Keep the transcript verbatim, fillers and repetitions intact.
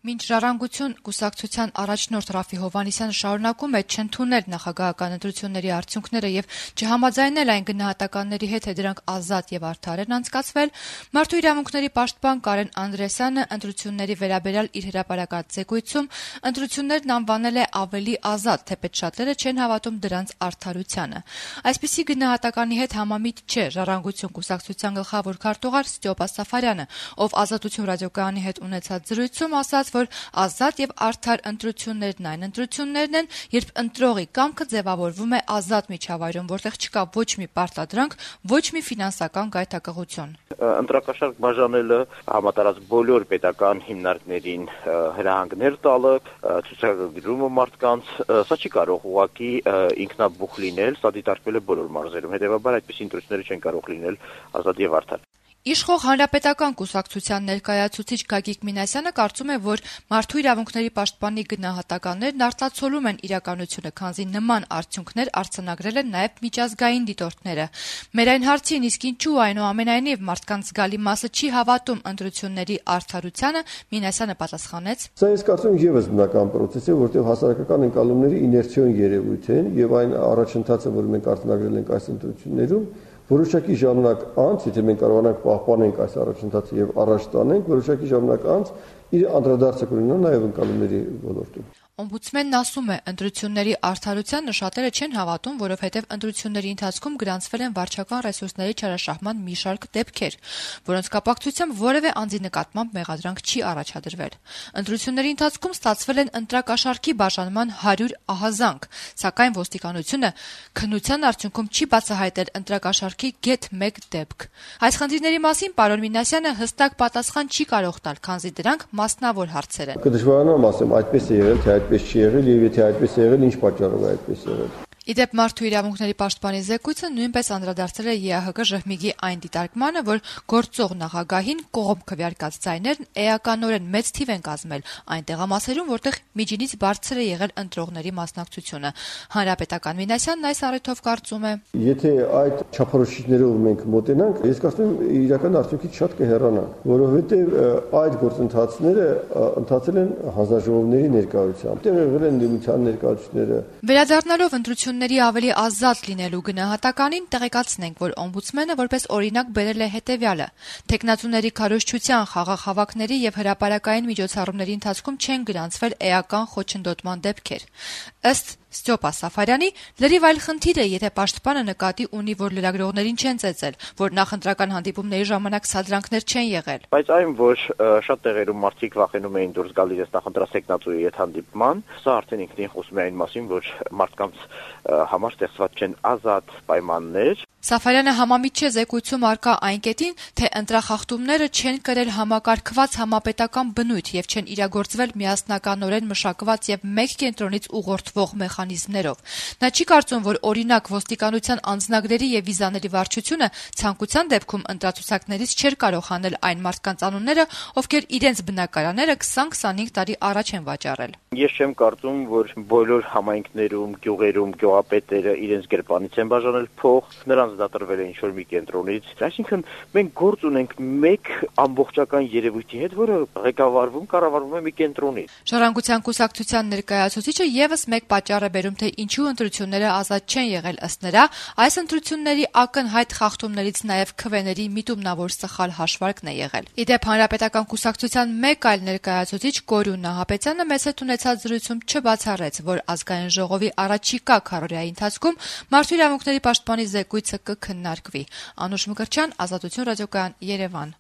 Մինչ Ժառանգություն կուսակցության առաջնորդ Ռաֆի Հովհաննիսյանը շարունակում է չընդունել նախագահական ընտրությունների արդյունքները եւ չհամաձայնել այն գնահատականների հետ, թե դրանք ազատ եւ արդար են անցկացվել, Մարդու իրավունքների պաշտպան Կարեն Անդրեասյանը ընտրությունների վերաբերյալ իր հրապարակած զեկույցում ընտրություններն անվանել է ավելի ազատ, թեպետ շատերը չեն հավատում դրանց արդարությանը։ Այսպիսի գնահատականի հետ համամիտ չէ Ժառանգություն կուսակցության գլխավոր քարտուղար Ստյոպա Սաֆարյանը, ով Ազատություն ռադիոկայանի հետ ունեցած զրույցում ասաց, որ ազատ եւ արդար ընտրություններն այն ընտրություններն են, երբ ընտրողի կամքը ձևավորվում է ազատ միջավայրում, որտեղ չկա ոչ մի պարտադրանք, ոչ մի ֆինանսական գայթակղություն։ Ընտրակաշարք բաժանելը, համատարած բոլոր պետական հիմնարկներին հրահանգներ տալը, ցուցակագրումը մարդկանց, սա չի կարող ուղղակի ինքնաբուխ լինել, սա դիտարկվել է բոլոր մարզերում, հետեւաբար այդպիսի ընտրությունները չեն կարող լինել ազատ եւ արդար։ Իշխող Հանրապետական կուսակցության ներկայացուցիչ Գագիկ Մինասյանը կարծում է, որ Մարդու իրավունքների պաշտպանի գնահատականներն արտացոլում են իրականությունը, քանզի նման արդյունքներ արձանագրել են նաև միջազգային դիտորդները։ Մեր այն հարցին, իսկ ինչու այնուամենայնիվ մարդկանց զգալի մասը չի հավատում ընտրությունների արդարությանը, Մինասյանը պատասխանեց. Սա ես կարծում եմ ևս բնական process է, որտեղ հասարակական ընկալումները իներցիոն երևույթ են եւ այն առաջընթացը, որ մենք արձանագրել ենք այս ընտրություններում, որոշակի ժամանակ անց, եթե մենք կարողանանք պահպանենք այս առաջընթացը եւ առաջ տանենք, որոշակի ժամանակ անց իր անդրադարձը կունենա նաեւ ընկալումների ոլորտում։ Օմբուդսմենն ասում է, ընտրությունների արդարությանը շատերը չեն հավատում, որովհետև ընտրությունների ընթացքում գրանցվել են վարչական ռեսուրսների չարաշահման մի շարք դեպքեր, որոնց կապակցությամբ որևէ անձի նկատմամբ մեղադրանք չի առաջադրվել։ Ընտրությունների ընթացքում ստացվել են ընտրակաշառքի բաժանման հարյուր ահազանգ, սակայն ոստիկանությունը քննության արդյունքում չի բացահայտել ընտրակաշառքի գեթ մեկ դեպք։ Այս խնդիրների մասին պարոն Մինասյանը հստակ պատասխան չի կարող տալ, քանզի դրանք մասնավոր հարցեր են։ Կդժվարանամ ասեմ, այդպես է եղել, թե այդպես չի եղել եւ եթե այդպես է եղել, ինչ պատճառով է այդպես եղել։ Իդեպ Մարդու իրավունքների պաշտպանի զեկույցը նույնպես անդրադարձել է ԵԱՀԿ ժողովի այն դիտարկմանը, որ գործող նախագահին կողմ քվեարկած ձայներն էականորեն մեծ թիվ են կազմել այն տեղամասերում, որտեղ միջինից բարձր է եղել ընտրողների մասնակցությունը։ Հանրապետական Մինասյանն այս առիթով կարծում է. Եթե այդ չափորոշիչներով մենք մոտենանք, ես կարծում եմ իրական արդյունքից շատ կհեռանանք, որովհետեւ այդ գործընթացները ընթացել են հանձնաժողովների ներկայությամբ, դեռ եղել են դիմության ներկայացուցիչները։ Վերադառնալով ընտրությունների ավելի ազատ լինելու գնահատականին, տեղեկացնենք, որ օմբուդսմենը որպես օրինակ բերել է հետևյալը. թեկնածուների քարոզչության, խաղաղ հավաքների եւ հրապարակային միջոցառումների ընթացքում չեն գրանցվել էական խոչընդոտման դեպքեր։ Ըստ Ստյոպա Սաֆարյանի, լրիվ այլ խնդիր է, եթե պաշտպանը նկատի ունի, որ լրագրողներին չեն ծեծել, որ նախընտրական հանդիպումների ժամանակ սադրանքներ չեն եղել։ Բայց այն, որ շատ տեղերում մարդիկ վախենում էին դուրս գալ իրենց նախընտրած տեխնացուի հետ հանդիպման, սա արդեն ինքնին խոսում է այն մասին, որ մարդկանց համար ստեղծված չեն ազատ պայմաններ։ Սաֆարյանը համամիտ չէ զեկույցում արկա այն կետին, թե ընտրախախտումները չեն կրել համակարգված համապետական բնույթ եւ չեն իրագործվել միասնականորեն մշակված եւ մեկ կենտրոնից ուղղորդվող մեխանիզմներով։ Նա չի կարծում, որ օրինակ ոստիկանության անձնագրերի եւ վիզաների վարչությունը ցանկության դեպքում ընտրացուցակներից չէր կարող հանել այն մարդկանց անունները, ովքեր իրենց բնակարանները քսան-քսանհինգ տարի առաջ են վաճառել։ Ես չեմ կարծում, որ բոլոր համայնքներում, գյուղերում գյուղապետերը իրենց գրպանից են բաժանել փող, նրանց դատարկվել է ինչ-որ մի կենտրոնից։ Այսինքն մենք գործ ունենք մեկ ամբողջական երևույթի հետ, որը ղեկավարվում, կառավարվում է մի կենտրոնից։ Ժառանգության կուսակցության ներկայացուցիչը եւս մեկ պատճառ է բերում, թե ինչու ընտրությունները ազատ չեն եղել ըստ նրա, այս ընտրությունների ակնհայտ խախտումներից նաեւ քվեների միտումնավոր սխալ հաշվարկն է եղել։ Իդեպ Հանրապետական կուսակցության մեկ այլ ներկայացուցիչ Կորյուն Նահապետյանը մեծ հետ ունեցած զրույցում չբացառեց, որ ազգային ժողովի առաջիկա քառօրյայի ընթացքում Մարդու իրավունքների պաշտպանի զեկույցը կքննարկվի։ Անուշ Մկրտչյան, Ազատություն ռադիոկայան, Երևան։